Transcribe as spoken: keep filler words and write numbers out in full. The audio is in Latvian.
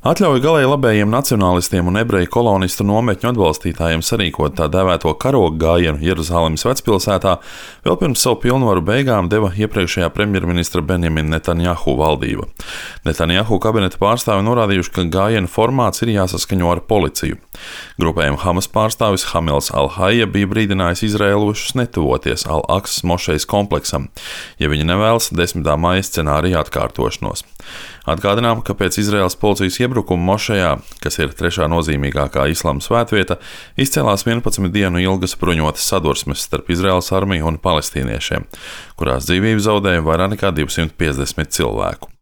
Atļauj galēji labējiem nacionālistiem un ebreju kolonistu nometņu atbalstītājiem sarīkot tā dēvēto karoga gājienu Jeruzalemes vecpilsētā vēl pirms savu pilnvaru beigām deva iepriekšējā premjerministra Benjamina Netanjahu valdība. Netanjahu kabineta pārstāvi norādījuši, ka gājienu formāts ir jāsaskaņo ar policiju. Grupējuma Hamas pārstāvis Hamils Al-Haija bija brīdinājis izrēlušus netuvoties Al-Aksas mošejas kompleksam, ja viņi nevēlas desmitā maija scenārija atkārtošanos. Atgādinām, ka pēc Izraēlas policijas iebrukuma mošejā, kas ir trešā nozīmīgākā islāma svētvieta, izcēlās vienpadsmit dienu ilgas bruņotas sadursmes starp Izraēlas armiju un palestīniešiem, kurās dzīvību zaudēja vairāk nekā divsimt piecdesmit cilvēku.